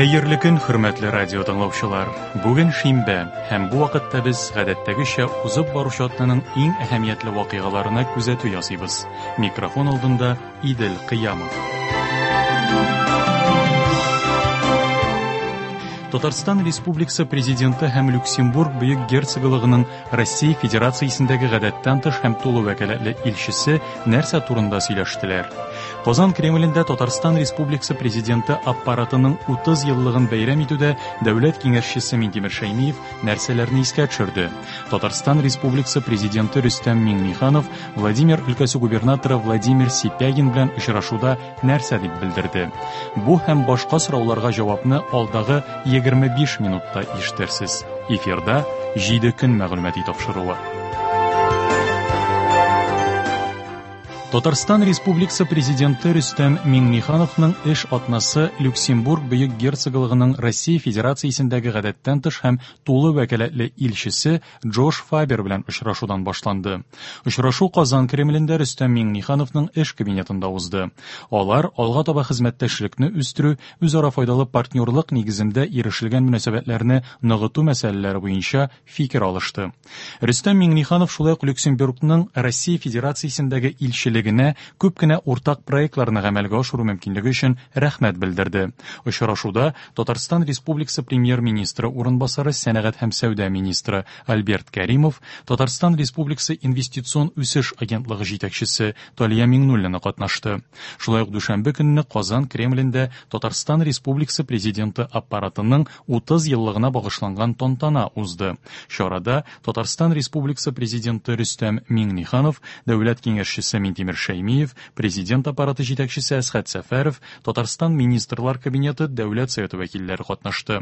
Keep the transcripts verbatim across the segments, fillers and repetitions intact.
Хәерле көн, хөрмәтле радио тыңлаучылар. Бүген шимбә, һәм бу вакытта без гадәттәгечә узып баручы атнаның иң әһәмиятле вакыйгаларына күзәтү ясыйбыз. Микрофон алдында Идел Кыямов. Татарстан Республикасы Президенты һәм Люксембург Бөек Герцоглыгының Россия Федерациясендәге гадәттән тыш һәм тулы вәкаләтле илчесе нәрсә турында сөйләштеләр? Казан Кремлендә Татарстан Республикасы Президенты аппаратының утыз еллыгын бәйрәм итүдә дәүләт киңәшчесе Минтимер Шәймиев нәрсәләрне искә төшерде? Татарстан Республикасы Президенты Рөстәм Миңнеханов Владимир өлкәсе губернаторы Владимир Сипягин белән очрашуда нәрсә дип белдерде? Бу һәм башка сорауларга җавапны алдагы егерме биш минутта ишетерсез. Эфирда җиде көн мәгълүмати тапшыруы. Татарстан Республикасы Президенты Рөстәм Миңнехановның эш атнасы Люксембург Бөек Герцоглыгының Россия Федерациясендәге гадәттән тыш һәм тулы вәкаләтле илчесе Джош Фабер белән очрашудан башланды. Очрашу Казан Кремлендә Рөстәм Миңнехановның эш кабинетында узды. Алар алга таба хезмәттәшлекне үстерү, үзара файдалы партнерлык нигезендә ирешелгән мөнәсәбәтләрне ныгыту мәсьәләләре буенча фикер алышты. Рөстәм Миңнеханов шулай ук Люксембургның Россия Федерациясендәге илчелеге күп кенә уртак проектларны гамәлгә ашыру мөмкинлеге өчен рәхмәт белдерде. Очрашуда Татарстан Республикасы Премьер-министры урынбасары, сәнәгать һәм сәүдә министры Альберт Кәримов, Татарстан Республикасы Инвестицион үсеш агентлыгы җитәкчесе Талия Миңнуллина катнашты. Шулай ук дүшәмбе көнне Казан Кремлендә Татарстан Республикасы Президенты аппаратының утыз еллыгына багышланган тантана узды. Чарада Татарстан Республикасы Президенты Рөстәм Миңнеханов, дәүләт киңәшчесе Минтимер Шәймиев, Президент аппараты җитәкчесе Әсхәт Сәфәров, Татарстан Министрлар Кабинеты Дәүләт Советы вәкилләре катнашты.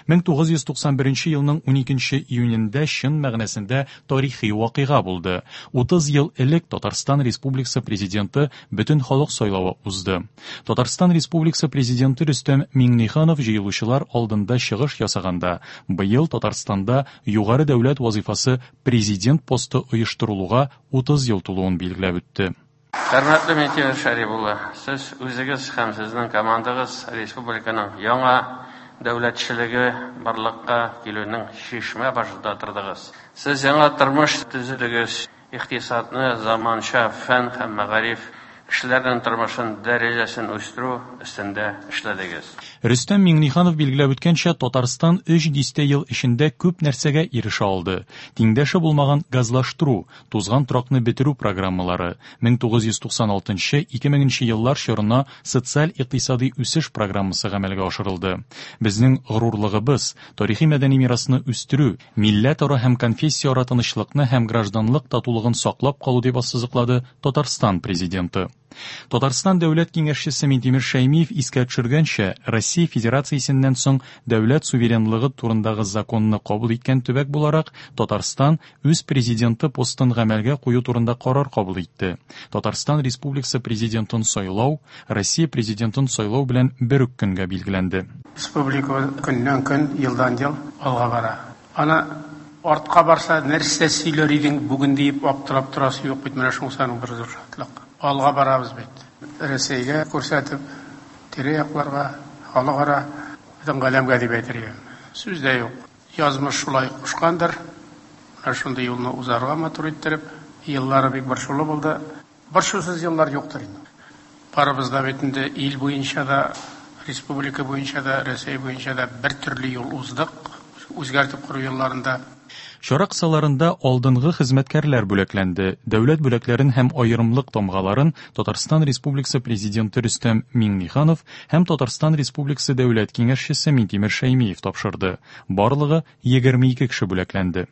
мең тугыз йөз туксан беренче елның уникенче июнендә чын мәгънәсендә тарихи вакыйга булды. Утыз ел элек Татарстан Республикасы Президенты бөтен халык сайлавы узды. Татарстан Республикасы Президенты Рөстәм Миңнеханов җыелучылар алдында чыгыш ясаганда, быел Татарстанда югары дәүләт вазифасы президент посты оештырылуга утыз ел тулуын билгеләп үтте. Хөрмәтле Минтимер Шәрип улы, сез үзегез һәм сезнең командагыз республиканың яңа дәүләтчелеге барлыкка килүнең чишмә башында тордыгыз. Сез яңа тормыш төзедегез, икътисадны заманча фән һәм мәгариф, кешеләрнең тормышын дәрәҗәсен үстерү өстендә эшләдегез. Рөстәм Миңнеханов билгеләп үткәнчә, Татарстан өч дистә ел эчендә күп нәрсәгә ирешә алды. Тиңдәше булмаган газлаштыру, тузган торакны бетерү программалары, мең тугыз йөз туксан алтынчы, ике меңенче еллар чорына социаль-икътисади үсеш программасы гамәлгә ашырылды. Безнең горурлыгыбыз, тарихи мәдәни мирасны үстерү, милләтара һәм конфессияара тынычлыкны һәм гражданлык татулыгын саклап калу дип ассызыклады Татарстан президенты. Татарстан дәүләт киңәшчесе Минтимер Шәймиев искә төшергәнчә, Россия Федерациясеннән соң дәүләт суверенлыгы турындагы законны кабул иткән төбәк буларак, Татарстан үз президенты постын гамәлгә кую турында карар кабул итте. Татарстан Республикасы президентын сайлау Россия президентын сайлау белән бер үк көнгә билгеләнде. Республика көннән көн, елдан ел алга бара. Ана артка барса нәрсә сөйләр идең бүген дип аптырап торасы юк бит, менә шунысы аның бер зур шатлык. Алга барабыз бит. Рәсәйгә күрсәтеп, тирә-якларга, халыкара, бөтен галәмгә дип әйтергә. Сүз дә юк. Язмыш шулай кушкандыр. Менә шундый юлны узарга матур иттереп, еллары бик борчулы булды. Борчусыз еллар юктыр инде. Барыбыз да бит инде ил буенча да, республика буенча да, Рәсәй буенча да бер төрле юл уздык. Үзгәртеп кору елларында. Чара кысаларында алдынгы хезмәткәрләр бүләкләнде. Дәүләт бүләкләрен һәм аерымлык тамгаларын Татарстан Республикасы Президенты Рөстәм Миңнеханов һәм Татарстан Республикасы Дәүләт Киңәшчесе Минтимер Шәймиев тапшырды. Барлыгы егерме ике кеше бүләкләнде.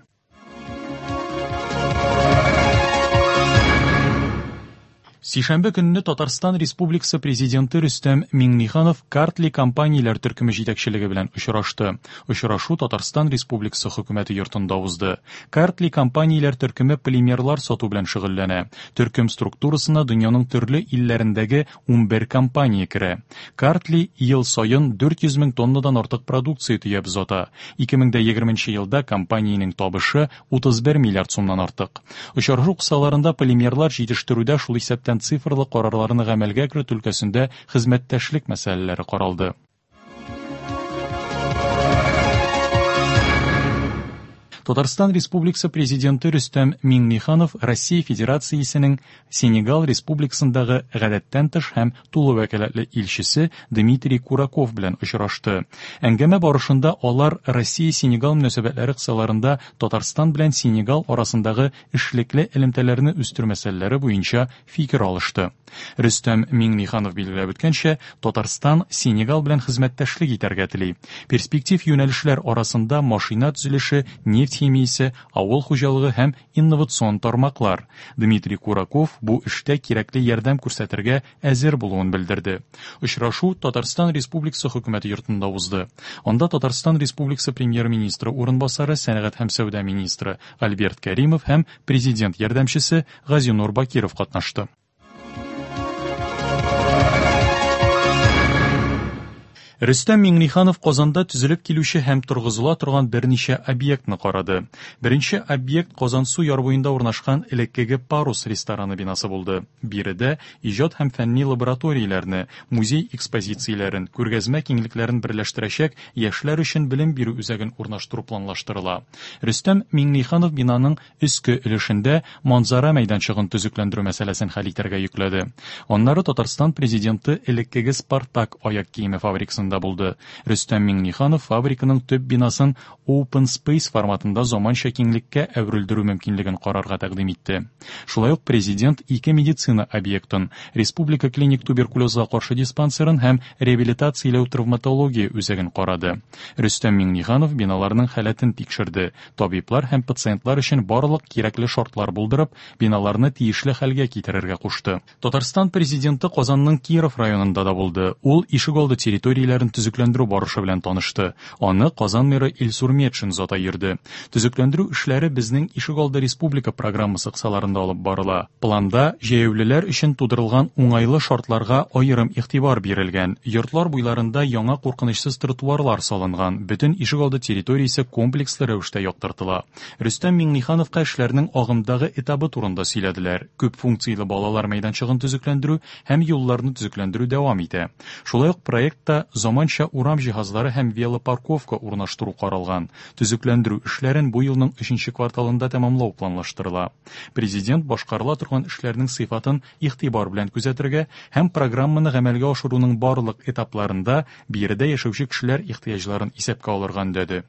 Сишәмбе көнне Татарстан Республикасы Президенты Рөстәм Миңнеханов Картли компанияләр төркеме җитәкчелеге белән очрашты. Очрашу Татарстан Республикасы хөкүмәте йортында узды. Картли компанияләр төркеме полимерлар сату белән шөгыльләнә. Төркем структурасына дөньяның төрле илләрендәге унбер компания керә. Картли ел саен дүрт йөз мең тоннадан артык продукция төяп озата. Ике мең дә егерменче елда компаниянең табышы утыз бер миллиард сумнан артык. Очрашу кысаларында полимерлар җитештерүдә, шул исәптән цифрлы карарларны гамәлгә кертү өлкәсендә хезмәттәшлек мәсьәләләре каралды. Татарстан Республикасы Президенты Рөстәм Миңнеханов Россия Федерациясенең Сенегал Республикасындагы гадәттән тыш һәм тулы вәкаләтле илчесе Дмитрий Кураков белән очрашты. Әңгәмә барышында алар Россия-Сенегал мөнәсәбәтләре кысаларында Татарстан белән Сенегал арасындагы эшлекле элемтәләрне үстерү мәсьәләләре буенча фикер алышты. Рөстәм Миңнеханов билгеләп үткәнчә, Татарстан Сенегал белән хезмәттәшлек итәргә тели. Перспектив юнәлешләр арасында машина төзелеше, нефть химиясе, авыл хуҗалыгы һәм инновацион тармаклар. Дмитрий Кураков бу эштә кирәкле ярдәм күрсәтергә әзер булуын белдерде. Очрашу Татарстан Республикасы хөкүмәте йортында узды. Анда Татарстан Республикасы премьер-министры урынбасары, сәнәгать һәм сәүдә министры Альберт Кәримов һәм президент ярдәмчесе Газинур Бакиров катнашты. Рөстәм Миңнеханов Казанда төзелеп килүче һәм торгызыла торган берничә объектны карады. Беренче объект Казансу яр буенда урнашкан элеккеге Парус рестораны бинасы булды. Биредә иҗат һәм фәнни лабораторияләрне, музей экспозицияләрен, күргәзмә киңлекләрен берләштерәчәк яшьләр өчен белем бирү үзәген урнаштыру планлаштырыла. Рөстәм Миңнеханов бинаның өске өлешендә манзара мәйданчыгын төзекләндерү мәсьәләсен хәл итәргә йөкләде. Аннары Татарстан президенты элеккеге Спартак аяк киеме фабрикасында булды. Рөстәм Миңнеханов фабриканың төп бинасын Open Space форматында заманча киңлеккә әверелдерү мөмкинлеген карарга тәкъдим итте. Шулай ук президент ике медицина объектын, Республика клиник туберкулезга каршы диспансерын һәм реабилитацияләү травматология үзәген карады. Рөстәм Миңнеханов биналарның халәтен тикшерде. Табиблар һәм пациентлар өчен барлык кирәкле шартлар булдырып, биналарны тиешле хәлгә китерергә кушты. Татарстан президенты Казанның Киров районында да булды. Ул ишегалды территорияләрен төзекләндерү барышы белән танышты. Аны Казан мэры Илсур Метшин зата йөрде. Төзекләндерү эшләре безнең ишегалды республика программасы кысаларында алып барыла. Планда җәяүлеләр өчен тудырылган уңайлы шартларга аерым игътибар бирелгән. Йортлар буйларында яңа куркынычсыз тротуарлар салынган. Бөтен ишегалды территориясе комплекслы рәвештә яктыртыла. Рөстәм Миңнехановка эшләрнең агымдагы этабы турында сөйләделәр. Күп функцияле балалар мәйданчыгын төзекләндерү һәм юлларны төзекләндерү дәвам итә. Шулай ук проектта заманча урам җиһазлары һәм велопарковка урнаштыру каралган. Төзекләндерү эшләрен бу елның өченче кварталында тәмамлау планлаштырыла. Президент башкарыла торган эшләрнең сыйфатын игътибар белән күзәтергә һәм программаны гамәлгә ашыруның барлык этапларында биредә яшәүче кешеләр ихтыяҗларын исәпкә алырга өндәде.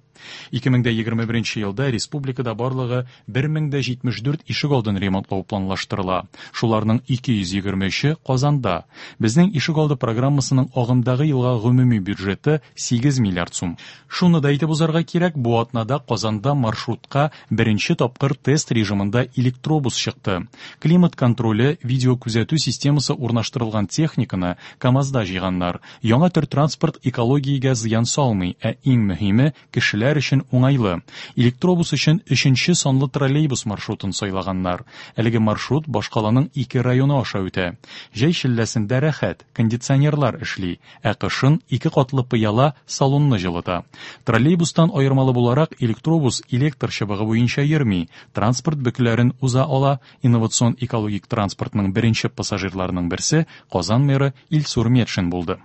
ике мең егерме беренче елда республикада барлыгы бер мең җитмеш дүрт ишегалдын ремонтлау планлаштырыла. Шуларның ике йөз егерме өче Казанда. Безнең ишегалды программасының агымдагы елга гомуми бюджеты сигез миллиард сум. Шуны да әйтеп узарга кирәк, бу атнада Казанда маршрутка беренче тапкыр тест режимында электробус чыкты. Климат контроле, видеокүзәтү системасы урнаштырылган техниканы КАМАЗда җыйганнар. Яңа төр транспорт экологиягә зыян салмый, ә иң мөһиме кешеләр өчен уңайлы. Электробус өчен өченче санлы троллейбус маршрутын сайлаганнар. Әлеге маршрут башкаланың ике районы аша үтә. Җәй челләсендә рәхәт, кондиционерлар эшли, ә кышын ике катлы пыяла салонны җылыта. Троллейбустан аермалы буларак электробус электр чыбыгы буенча йөрми, транспорт бөкеләрен уза ала. Инновацион экологик транспортның беренче пассажирларының берсе Казан мэры Илсур Метшин булды.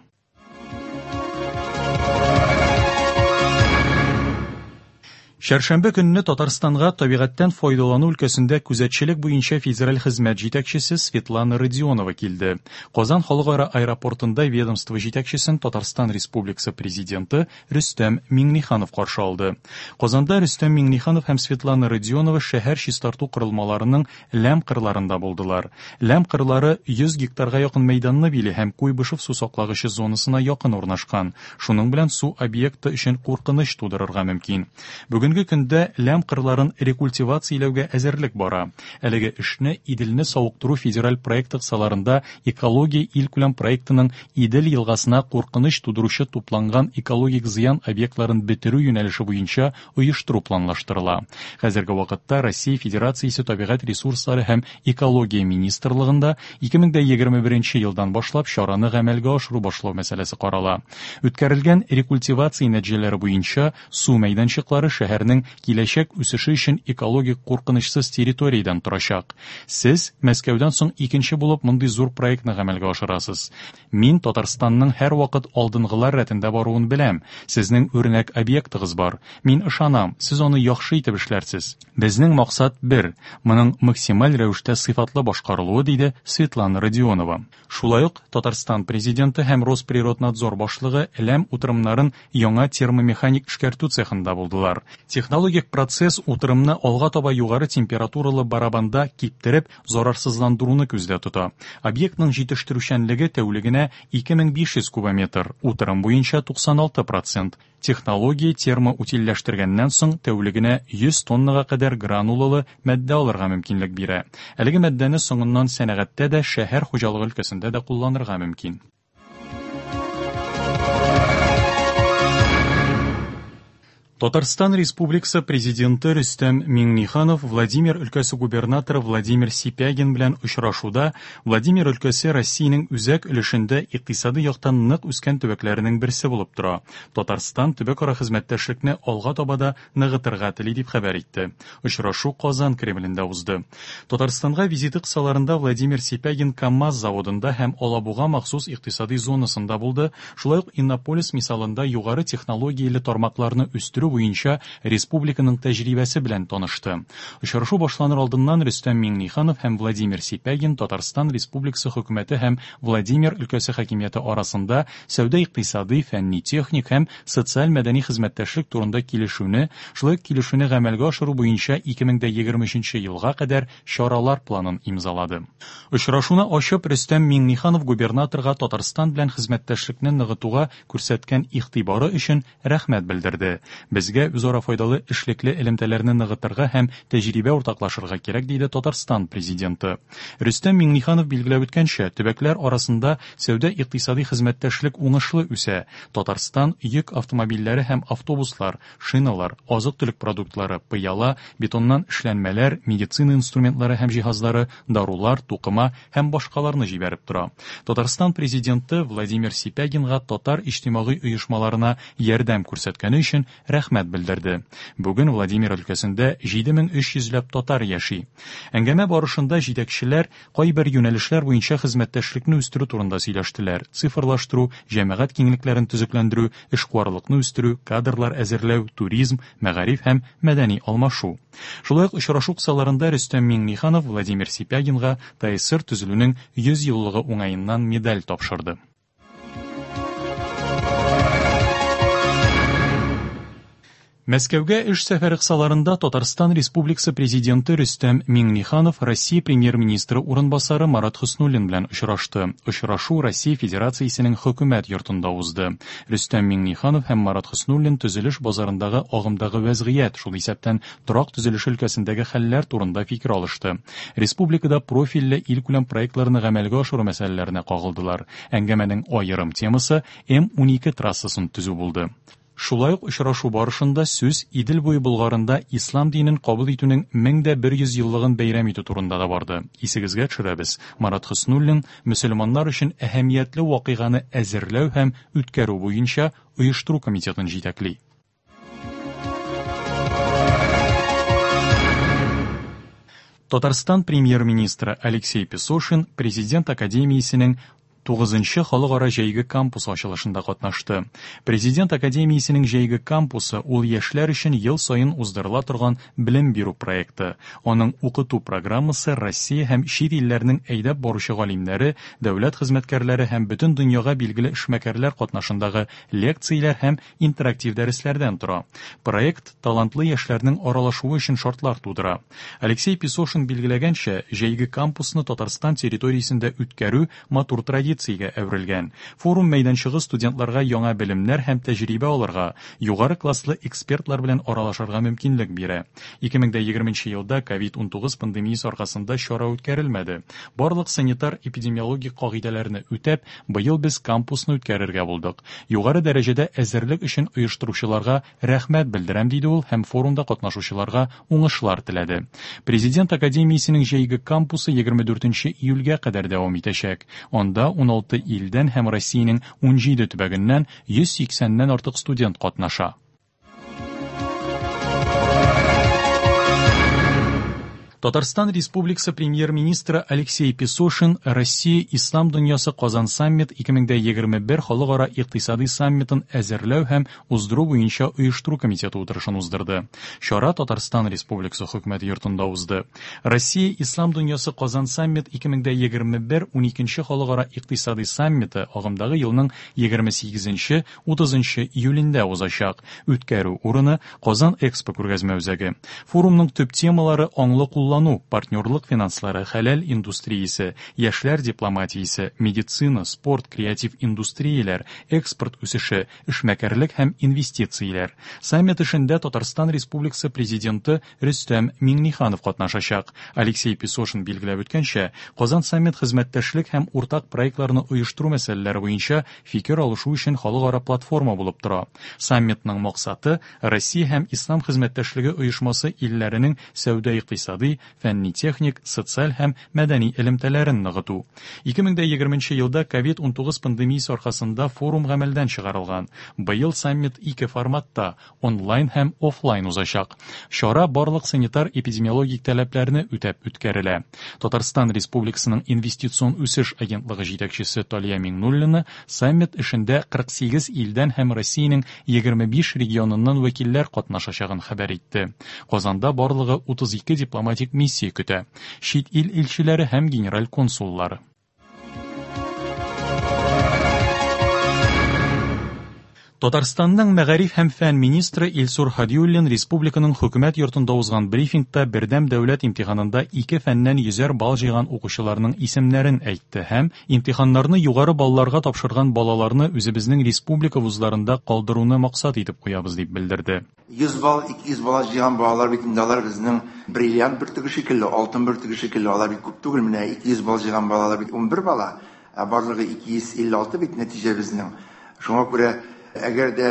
Чәршәмбе көнне Татарстанга табигатьтән файдалану өлкәсендә күзәтчелек буенча федераль хезмәт җитәкчесе Светлана Родионова килде. Казан халыкара аэропортында ведомство җитәкчесен Татарстан Республикасы президенты Рөстәм Миңнеханов каршы алды. Казанда Рөстәм Миңнеханов һәм Светлана Родионова шәһәр чистарту корылмаларының ләм кырларында булдылар. Ләм кырлары йөз гектарга якын мәйданны били һәм Куйбышев су саклагычы зонасына якын урнашкан. Шуның белән су объекты өчен куркыныч тудырырга мөмкин. Бүген Бүгенге көндә ләм кырларын рекультивацияләүгә әзерлек бара. Әлеге эшне Иделне савыктыру федераль проекты кысаларында экология илкүләм проектының Идел елгасына куркыныч тудыручы тупланган экологик зыян объектларын бетерү юнәлеше буенча оештыру планлаштырыла. Хәзерге вакытта Россия Федерациясе табигать ресурслары һәм экология министрлыгында ике мең егерме беренче елдан башлап чараны гамәлгә ашыру башлау мәсьәләсе карала. Үткәрелгән рекультивация нәтиҗәләре буенча су мәйданчыклары шәһәр шәһәрнең киләчәк үсеше өчен экологик куркынычсыз территориядән торачак. Сез Мәскәүдән соң икенче булып мондый зур проектны гамәлгә ашырасыз. Мин Татарстанның һәрвакыт алдынгылар рәтендә баруын беләм. Сезнең үрнәк объектыгыз бар. Мин ышанам, сез аны яхшы итеп эшләрсез. Безнең максат бер, моның максималь рәвештә сыйфатлы башкарылуы, диде Светлана Родионова. Шулай ук Татарстан президенты һәм Росприроднадзор башлыгы Ләм утырымнарын яңа термомеханик эшкәртү цехында булдылар. Технологик процесс утырымны алга таба югары температуралы барабанда киптереп, зарарсызландыруны күздә тота. Объектның җитештерүчәнлеге тәүлегенә ике мең биш йөз кубометр, утырым буенча туксан алты процент. Технология термоутильләштергәннән соң тәүлегенә йөз тоннага кадәр гранулалы матдә алырга мөмкинлек бирә. Әлеге матдәне соңыннан сәнәгатьтә дә, шәһәр хуҗалыгы өлкәсендә дә кулланырга мөмкин. Татарстан Республикасы президенты Рөстәм Миңнеханов Владимир өлкәсе губернаторы Владимир Сипягин белән очрашуда Владимир өлкәсе Россиянең үзәк өлешендә икътисади яктан нык үскән төбәкләренең берсе булып тора. Татарстан төбәкара хезмәттәшлекне алга таба да ныгытырга тели дип хәбәр итте. Очрашу Казан Кремлендә узды. Татарстанга визиты кысаларында Владимир Сипягин КАМАЗ заводында һәм Алабуга махсус икътисади зонасында булды. Шулай ук Иннополис мисалында югары технологияле тармакларны үстерү буенча республиканың тәҗрибәсе белән танышты. Очрашу башланыр алдыннан Рөстәм Миңнеханов һәм Владимир Сипягин Татарстан Республикасы хөкүмәте һәм Владимир өлкәсе хакимияте арасында сәүдә-икътисади, фәнни-техник һәм социаль-мәдәни хезмәттәшлек турында килешүне, шулай ук килешүне гамәлгә ашыру буенча ике мең егерме өченче елга кадәр чаралар планын имзалады. Очрашуны ачып Рөстәм Миңнеханов губернаторга Татарстан белән хезмәттәшлекне ныгытуга күрсәткән игътибары өчен рәхмәт белдерде. Безгә үзара файдалы эшлекле элемтәләрне ныгытырга һәм тәҗрибә уртаклашырга кирәк, диде Татарстан президенты. Рөстәм Миңнеханов билгеләп үткәнчә, төбәкләр арасында сәүдә-икътисади хезмәттәшлек уңышлы үсә. Татарстан йөк автомобильләре һәм автобуслар, шиналар, азык-төлек продуктлары, пыяла, бетоннан эшләнмәләр, медицина инструментлары һәм җиһазлары, дарулар, тукыма һәм башкаларны җибәреп тора. Татарстан президенты Владимир Сипягинга татар иҗтимагый оешмаларына ярдәм күрсәткәне өчен рәхмәт белдерде. Бүген Владимир өлкәсендә җиде мең өч йөзләп татар яши. Әңгәмә барышында җитәкчеләр кайбер юнәлешләр буенча хезмәттәшлекне үстерү турында сөйләштеләр. Цифрлаштыру, җәмәгать киңлекләрен төзекләндерү, эшкуарлыкны үстерү, кадрлар әзерләү, туризм, мәгариф һәм мәдәни алмашу. Шулай ук очрашу кысаларында Рөстәм Миңнеханов Владимир Сипягинга ТАССР төзелүнең йөз еллыгы уңаеннан медаль тапшырды. Мәскәүгә эш сәфәре кысаларында Татарстан Республикасы президенты Рөстәм Миңнеханов Россия премьер-министры урынбасары Марат Хөснуллин белән очрашты. Очрашу Россия Федерациясенең хөкүмәт йортында узды. Рөстәм Миңнеханов һәм Марат Хөснуллин төзелеш базарындагы агымдагы вәзгыять, шул исәптән торак төзелеше өлкәсендәге хәлләр турында фикер алышты. Республикада профильле илкүләм проектларны гамәлгә ашыру мәсьәләләренә кагылдылар. Әңгәмәнең аерым темасы М унике трассасын төзү булды. Шулай ук очрашу барышында сүз Идел буе Болгарында ислам динен кабул итүнең мең дә бер йөз еллыгын бәйрәм итү турында да барды. Исегезгә төшерәбез, Марат Хөснуллин мөселманнар өчен әһәмиятле вакыйганы әзерләү һәм үткәрү буенча оештыру комитетын җитәкли. Татарстан премьер-министры Алексей Песошин Президент академиясенең тугызынчы халыкара җәйге кампусы ачылышында катнашты. Президент академиясенең җәйге кампусы ул яшьләр өчен ел саен уздырыла торган белем бирү проекты. Аның укыту программасы Россия һәм чит илләрнең әйдәп баручы галимнәре, дәүләт хезмәткәрләре һәм бөтен дөньяга билгеле эшмәкәрләр катнашындагы лекцияләр һәм интерактив дәресләрдән тора. Проект талантлы яшьләрнең аралашуы өчен шартлар тудыра. Алексей Песошин билгеләгәнчә, җәйге кампусны Татарстан территориясендә үткәрү матур традиция әверелгән. Форум мәйданчыгы студентларга яңа белемнәр һәм тәҗрибә алырга, югары класслы экспертлар белән аралашырга мөмкинлек бирә. ике мең егерменче елда ковид унтугыз пандемиясе аркасында чара үткәрелмәде. Барлык санитар-эпидемиологик кагыйдәләрне үтәп, быел без кампусны үткәрергә булдык. Югары дәрәҗәдә әзерлек өчен оештыручыларга рәхмәт белдерәм, диде ул һәм форумда катнашучыларга уңышлар теләде. Президент академиясенең җәйге кампусы егерме дүртенче июльгә кадәр дәвам итәчәк. Анда ун алты илдән һәм Россиянең ун җиде төбәгеннән йөз сиксәннән артык студент катнаша. Татарстан Республикасы премьер-министры Алексей Песошин Россия Ислам дөньясы Казан саммит ике мең егерме бер халыкара икътисади саммитын әзерләү һәм уздыру буенча оештыру комитеты утырышын уздырды. Чара Татарстан Республикасы хөкүмәте йортында узды. Россия Ислам дөньясы Казан саммит ике мең егерме бер уникенче халыкара икътисади саммиты агымдагы елның егерме сигезенче утызынчы июлендә узачак. Үткәрү урыны Казан Экспо күргәзмә үзәге. Форумның төп темалары аңлы куллану, партнерлык финанслары, хәләл индустриясе, яшьләр дипломатиясе, медицина, спорт, креатив индустрияләр, экспорт үсеше, эшмәкәрлек һәм инвестицияләр. Саммит эшендә Татарстан Республикасы президенты Рөстәм Миңнеханов катнашачак. Алексей Песошин билгеләп үткәнчә, Казан саммит хезмәттәшлек һәм уртак проектларны оештыру мәсьәләләре буенча фикер алышу өчен халыкара платформа булып тора. Саммитның максаты Россия һәм Ислам хезмәттәшлеге оешмасы илләренең сәүдә-икътисади, фәнни-техник, социаль һәм мәдәни элемтәләрен ныгыту. ике мең егерменче елда ковид унтугыз пандемиясе аркасында форум гамәлдән чыгарылган. Быел саммит ике форматта онлайн һәм офлайн узачак. Чара барлык санитар-эпидемиологик таләпләрне үтәп үткәрелә. Татарстан Республикасының инвестицион үсеш агентлыгы җитәкчесе Талия Миңнуллина саммит эшендә кырык сигез илдән һәм Россиянең егерме биш регионыннан вәкилләр катнашачагын хәбәр итте. Казанда барлыгы утыз ике дипломатик миссия көтә. Чит ил илчеләре һәм генераль консуллары. Татарстанның мәгариф һәм фән министры Илсур Һадиуллин республиканың хөкүмәт йортында узган брифингта бердәм дәүләт имтиханында ике фәннән йөзәр балл җыйган укучыларның исемнәрен әйтте һәм имтиханнарны югары балларга тапшырган балаларны үзебезнең республика вузларында калдыруны максат итеп куябыз дип белдерде. Йөз балл, ике йөз балл җыйган балалар бит инде алар безнең бриллиант бөртеге шикелле, алтын бөртеге шикелле, алар бит күп түгел, менә ике йөз балл җыйган балалар бит унбер бала, ә барлыгы ике йөз илле алты бит нәтиҗә безнең. Шуңа күрә әгәр дә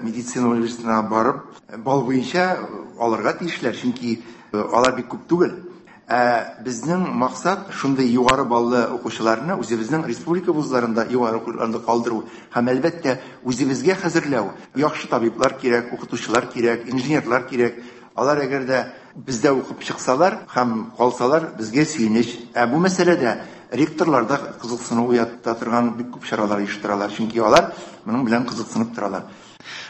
медицина университетына барып, балл буенча алырга тиешләр, чөнки алар бик күп түгел. Ә безнең максат шундый югары баллы укучыларны үзебезнең республика вузларында югары укуларында калдыру һәм әлбәттә үзебезгә хәзерләү. Яхшы табиблар кирәк, укытучылар кирәк, инженерлар кирәк. Алар әгәр дә бездә укып чыксалар һәм калсалар, безгә сөенеч. Ә бу мәсьәләдә ректорлар да кызыксыну уята торган бик күп чаралар оештыралар, чөнки алар моның белән кызыксынып торалар.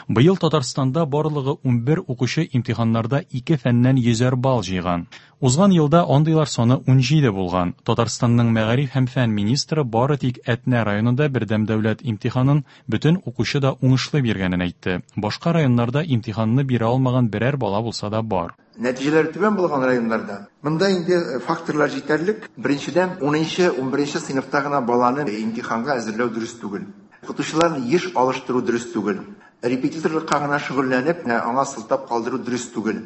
Быел Татарстанда барлыгы унбер укучы имтиханнарда ике фәннән йөзәр балл җыйган. Узган елда андыйлар саны унҗиде булган. Татарстанның мәгариф һәм фән министры бары тик Әтнә районында бердәм дәүләт имтиханын бөтен укучы да уңышлы биргәнен әйтте. Башка районнарда имтиханны бирә алмаган берәр бала булса да бар. Нәтиҗәләр түбән булган районнарда монда инде факторлар җитәрлек. Беренчедән, унынчы, унберенче сыйныфта гына баланы имтиханга әзерләү дөрес түгел. Укытучыларны еш алыштыру дөрес түгел. Репетиторлыкка гына шөгыльләнеп, аңа сылтап калдыру дөрес түгел.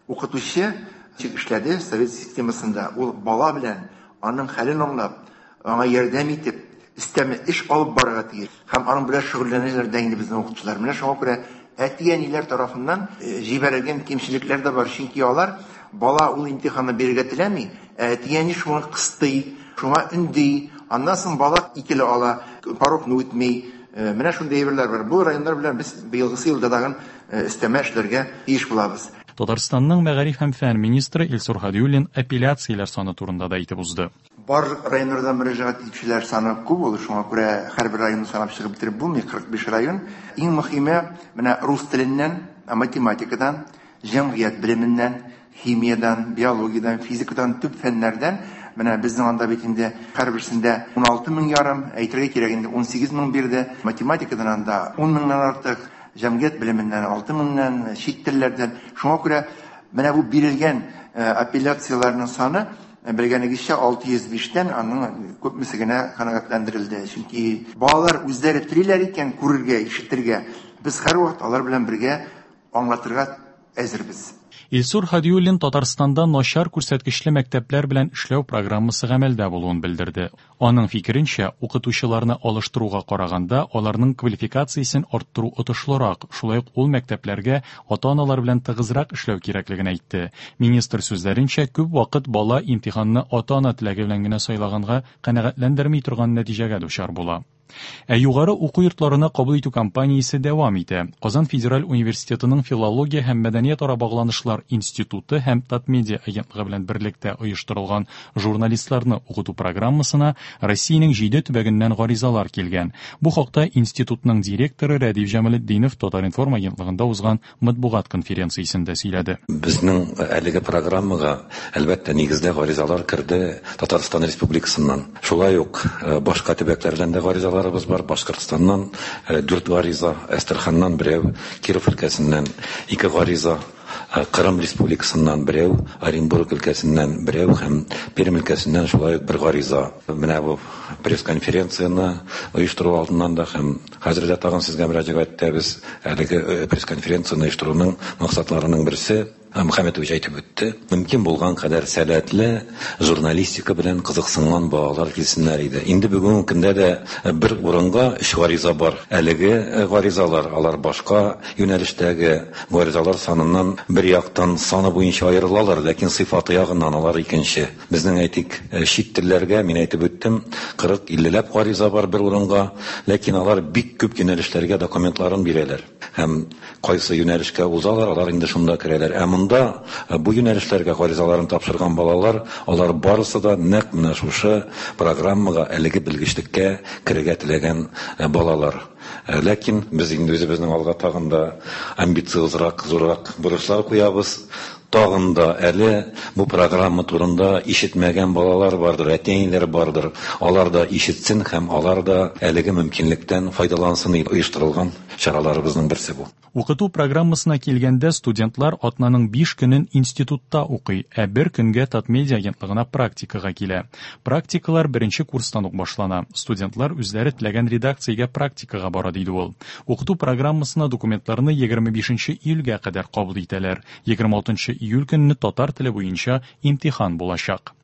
Укытучы ничек эшләде совет системасында, ул бала белән аның хәлен аңлап, аңа ярдәм итеп, өстәмә эш алып барырга тиеш. Һәм аның белән шөгыльләнәләр дә инде безнең укытучылар. Менә шуңа күрә әти-әниләр тарафыннан җибәрелгән кимчелекләр дә бар, чөнки алар бала ул имтиханны бирергә теләми, әти-әни шуңа кыстый, шуңа өнди, аннан соң бала икеле ала, порогны үтми. Менә шундый әйберләр бар. Бу районнар белән без быелгысы елда тагын өстәмә эшләргә тиеш булабыз. Татарстанның мәгариф һәм фән министры Илсур Һадиуллин апелляцияләр саны турында да әйтеп узды. Бар районнардан мөрәҗәгать итүчеләр саны күп булды, шуңа күрә һәрбер районны санап чыгып бетереп булмый, кырык биш район. Иң мөһиме менә рус теленнән, математикадан, җәмгыять белеменнән, химиядан, биологиядан, физикадан, төп фәннәрдән. Менә безнең анда бит инде һәрберсендә уналты мең ярым, әйтергә кирәк инде унсигез мең бирде. Математикадан анда ун меңнән артык, җәмгыять белеменнән алты меңнән, чит телләрдән. Шуңа күрә менә бу бирелгән апелляцияләрнең саны белгәнегезчә алты йөз биштән аның күпмесе генә канәгатьләндерелде. Чөнки балалар үзләре телиләр икән күрергә, ишетергә, без һәрвакыт алар белән бергә аңлатырга әзербез. Илсур Һадиуллин Татарстанда начар күрсәткечле мәктәпләр белән эшләү программасы гамәлдә булуын белдерде. Аның фикеренчә, укытучыларны алыштыруга караганда аларның квалификациясен арттыру отышлырак, шулай ук ул мәктәпләргә ата-аналар белән тыгызрак эшләү кирәклеген әйтте. Министр сүзләренчә, күп вакыт бала имтиханны ата-ана теләге белән генә сайлаганга канәгатьләндерми торган нәтиҗәгә дучар була. Ә югары уку йортларына кабул итү кампаниясе дәвам итә. Казан федераль университетының филология һәм мәдәниятара багланышлар институты һәм Татмедиа агентлыгы белән берлектә оештырылган журналистларны укыту программасына Россиянең җиде төбәгеннән гаризалар килгән. Бу хакта институтның директоры Рәдиф Җамалетдинов Татар-информ агентлыгында узган матбугат конференциясендә сөйләде. Безнең әлеге программага әлбәттә нигездә гаризалар керде Татарстан Республикасыннан. Шулай ук башка төбәкләрдән дә гаризалар бар. Башкортстаннан дүрт гариза, Әстерханнан берәү, Киров өлкәсеннән ике гариза, Кырым Республикасыннан берәү, Оренбург өлкәсеннән берәү һәм Пермь өлкәсеннән шулай ук бер гариза. Менә бу пресс-конференцияне оештыру алдыннан да һәм хәзер дә тагын сезгә мөрәҗәгать итәбез. Әлеге пресс-конференцияне оештыруның максатларының берсе Мөхәммәтович әйтеп үтте. Мөмкин булган кадәр сәләтле журналистика белән кызыксынган балалар килсеннәр иде. Инде бүгенге көндә дә бер урынга өч гариза бар. Әлеге гаризалар алар башка юнәлештәге гаризалар саныннан бер яктан саны буенча аерылалар, ләкин сыйфаты ягыннан алар икенче. Безнең әйтик, чит телләргә мин әйтеп үттем, кырык иллеләп гариза бар бер урынга, ләкин алар бик күп юнәлешләргә документларын бирәләр. Һәм кайсы юнәлешкә узалар, алар инде шунда керәләр. Ә монда бу юнәлешләргә гаризаларын тапшырган балалар, алар барысы да нәкъ менә шушы программага, әлеге белгечлеккә керергә теләгән балалар. Ләкин без инде үзебезнең алга тагын да амбициозрак, зуррак бурычлар куябыз. Тагын да әле бу программа турында ишетмәгән балалар бардыр, әти-әниләр бардыр. Алар да ишетсен һәм алар да әлеге мөмкинлектән файдалансын дип оештырылган чараларыбызның берсе бу. Укыту программасына килгәндә студентлар атнаның биш көнен институтта укый, ә бер көнгә Татмедиа агентлыгына практикага килә. Практикалар беренче курстан ук башлана. Студентлар үзләре теләгән редакциягә практикага бара, диде ул. Укыту программасына документларны егерме бишенче июльгә кадәр кабул итәләр. егерме алтынчы июль көнне татар теле буенча имтихан булачак.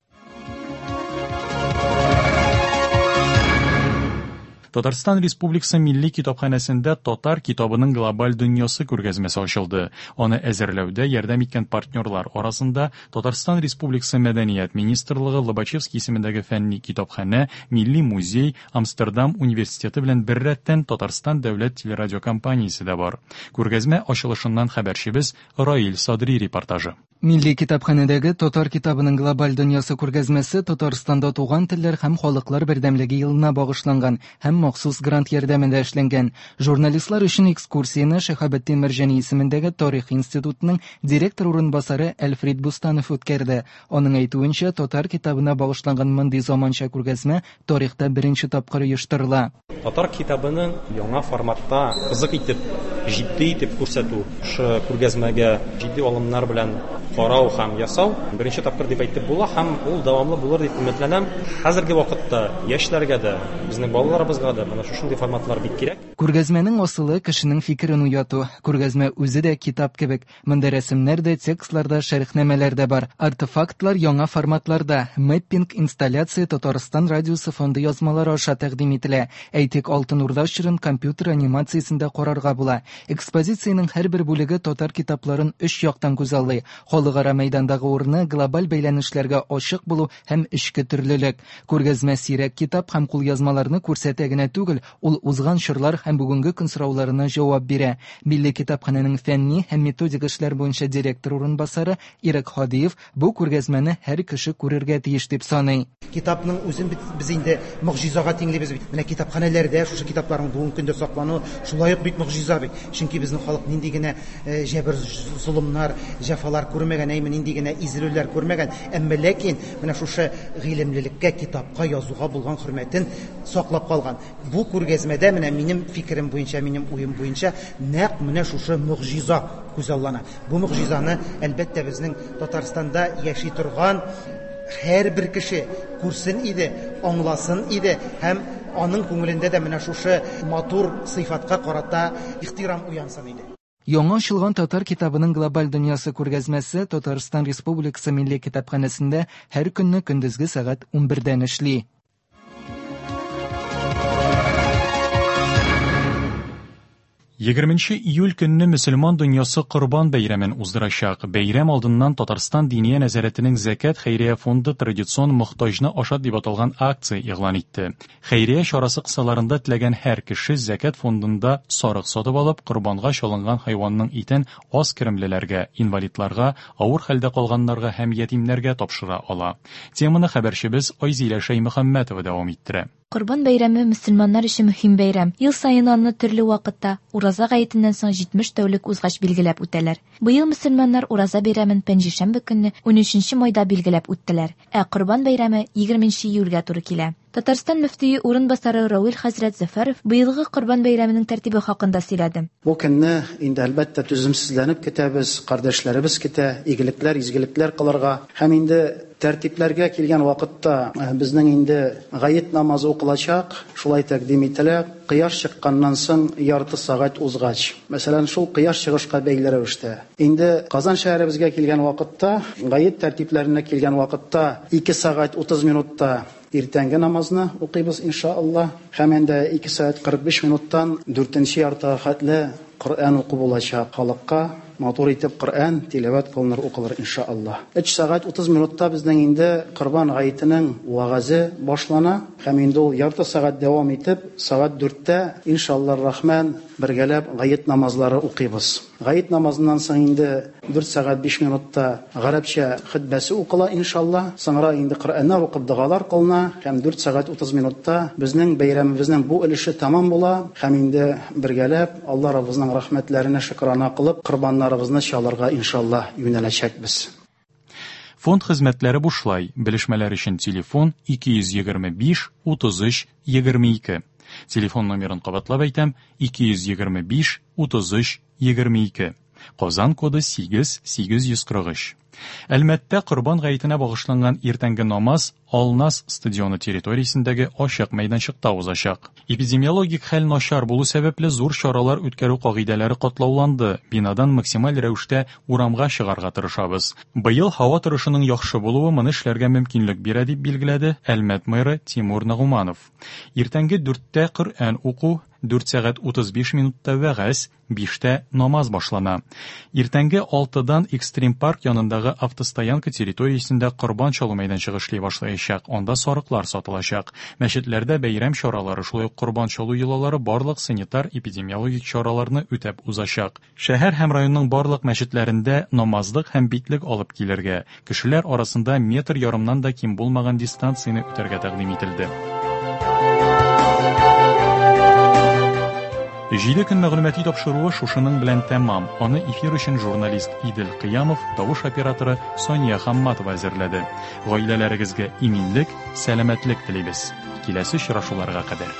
Татарстан Республикасы Милли китапханәсендә татар китабының глобаль дөньясы күргәзмәсе ачылды. Аны әзерләүдә ярдәм иткән партнерлар арасында Татарстан Республикасы Мәдәният министрлыгы, Лобачевский исемендәге фәнни китапханә, Милли музей, Амстердам университеты белән беррәттән Татарстан дәүләт телерадиокомпаниясе дә бар. Күргәзмә ачылышыннан хәбәрчебез Раил Садри репортажы. Милли китапханәдәге татар китабының глобаль дөньясы күргәзмәсе Татарстанда туган телләр һәм халыклар бердәмлеге елына багышланган һәм махсус грант ярдәмендә эшләнгән. Журналистлар өчен экскурсияне Шиһабетдин Мәрҗани исемендәге тарих институтының директор урынбасары Әлфрид Бустанов үткәрде. Аның әйтүенчә, татар китабына багышланган мондый заманча күргәзмә тарихта беренче тапкыр оештырыла. Татар китабының яңа форматта кызык итеп, җитди итеп күрсәтү, шушы күргәзмәгә җитди алымнар белән карау һәм ясау беренче тапкыр дип әйтеп була һәм ул дәвамлы булыр дип өметләнәм. Хәзерге вакытта яшьләргә дә, безнең балаларыбызга да менә шушындый форматлар бик кирәк. Күргәзмәнең асылы кешенең фикерен уяту. Күргәзмә үзе дә китап кебек. Монда рәсемнәр дә, текстлар да, шәрехнамәләр дә бар. Артефактлар яңа форматларда. Мэппинг инсталляция Татарстан радиосы фонды язмалары аша тәкъдим ителә. Әйтик, Алтын Урда чорын компьютер анимациясендә карарга була. Экспозициянең һәрбер бүлеге татар китапларын өч яктан күзаллый. Халыкара мәйдандагы урыны, глобаль бәйләнешләргә ачык булу һәм эчке төрлелек. Күргәзмә сирәк китап һәм кулъязмаларны күрсәтә генә түгел, ул узган чорлар һәм бүгенге көн сорауларына җавап бирә. Милли китапханәнең фәнни һәм методик эшләр буенча директор урынбасары Ирек Һадиев бу күргәзмәне һәр кеше күрергә тиеш дип саный. Китапның үзен без инде могҗизага тиңлибез бит. Менә китапханәләрдә шушы китапларның бүгенге көндә саклануы шулай ук бик могҗиза бит. Чөнки безнең халык нинди генә җәбер, золымнар, җәфалар күрмәгән, әйме нинди генә изелүләр күрмәгән, әмма ләкин менә шушы гыйлемлелеккә, китапка, язуга булган хөрмәтен саклап калган. Бу күргәзмәдә менә минем фикерем буенча, минем уем буенча нәкъ менә шушы могҗиза күзаллана. Бу могҗизаны әлбәттә безнең Татарстанда яши торган һәрбер кеше күрсен иде, аңласын иде һәм аның күңелендә дә менә шушы матур сыйфатка карата ихтирам уянсын иде. Яңа ачылган татар китабының глобаль дөньясы күргәзмәсе Татарстан Республикасы Милли китапханәсендә һәр көнне көндезге сәгать унбердән эшли. Егерменче июль көнне мөселман дөньясы Корбан бәйрәмен уздырачак. Бәйрәм алдыннан Татарстан Диния нәзарәтенең Зәкят хәйрия фонды традицион «Мохтаҗны ашат» дип аталган акция игълан итте. Хәйрия чарасы кысаларында теләгән һәр кеше Зәкят фондында сарык сатып алып, корбанга чалынган хайванның итен аз керемлеләргә, инвалидларга, авыр хәлдә калганнарга һәм ятимнәргә тапшыра ала. Теманы хәбәрчебез Айзилә Шәймөхәммәтова дәвам иттерә. Корбан бәйрәме мөселманнар өчен мөһим бәйрәм. Ел саен аны төрле вакытта, ураза гаетеннән соң җитмеш тәүлек узгач билгеләп үтәләр. Быел мөселманнар ураза бәйрәмен пәнҗешәмбе көнне унөченче майда билгеләп үттеләр. Ә Корбан бәйрәме егерменче июльгә туры килә. Татарстан мөфтие урынбасары Равил хәзрәт Зәфәров быелгы Корбан бәйрәменең тәртибе хакында сөйләде. Бу көнне инде әлбәттә түземсезләнеп көтәбез, кардәшләребез көтә, игелекләр, изгелекләр кылырга. Һәм инде тәртипләргә килгән вакытта безнең инде гает намазы укылачак, шулай тәкъдим ителә. Кояш чыкканнан соң ярты сәгать узгач. Мәсәлән, шул кояш чыгышка бәйле рәвештә. Инде Казан шәһәребезгә килгән вакытта, гает тәртипләренә килгән вакытта ике сәгать утыз минутта иртәнге намазны укыйбыз иншалла. Һәм инде ике сәгать кырык биш минуттан дүртенче яртыга хәтле Коръән уку булачак халыкка. Матур итеп Коръән тиләвәт кылыныр, укылыр иншалла. Өч сәгать утыз минутта безнең инде Корбан гаетенең вәгазе башлана һәм инде ул ярты сәгать дәвам итеп, сәгать дүрттә иншалла рахман бергәләп гает намазлары укыйбыз. Гает намазыннан соң инде дүрт сәгать биш минутта гарәпчә хөтбәсе укыла иншалла. Соңра инде Коръәннәр укып догалар кылына һәм дүрт сәгать утыз минутта безнең бәйрәмебезнең бу өлеше тәмам була һәм инде бергәләп Алла Раббыбызның рәхмәтләренә шөкрана кылып корбаннарыбызны чалырга иншалла юнәләчәкбез. Фонд хезмәтләре бушлай. Белешмәләр өчен телефон ике йөз егерме биш утыз өч егерме ике. Телефон номерын кабатлап әйтәм: ике йөз егерме биш утыз өч егерме ике. Казан коды сигез сигез йөз кырык өч. Әлмәттә Корбан гаетенә багышланган иртәнге намаз Алнас стадионы территориясендәге ачык мәйданчыкта узачак. Эпидемиологик хәл начар булу сәбәпле зур чаралар үткәрү кагыйдәләре катлауланды. Бинадан максималь рәвештә урамга чыгарга тырышабыз. Быел һава торышының яхшы булуы моны эшләргә мөмкинлек бирә, дип билгеләде Әлмәт мэры Тимур Нагуманов. Иртәнге дүрттә Коръән уку, дүрт сәгать утыз биш минутта вәгазь, биштә намаз башлана. Иртәнге алтыдан Экстрим парк янындагы автостоянка территориясендә корбан чалу мәйданчыгы эшли башлаячак. Анда сарыклар сатылачак. Мәчетләрдә бәйрәм чаралары, шулай ук корбан чалу йолалары барлык санитар-эпидемиологик чараларны үтәп узачак. Шәһәр һәм районның барлык мәчетләрендә намазлык һәм битлек алып килергә, кешеләр арасында метр ярымнан да ким булмаган дистанцияне үтәргә тәкъдим ителде. Җиде көн мәгълүмати тапшыруы шушының белән тәмам. Аны эфир өчен журналист Идел Кыямов, тавыш операторы Сония Хамматова әзерләде. Гаиләләрегезгә иминлек, сәламәтлек телибез. Киләсе очрашуларга кадәр.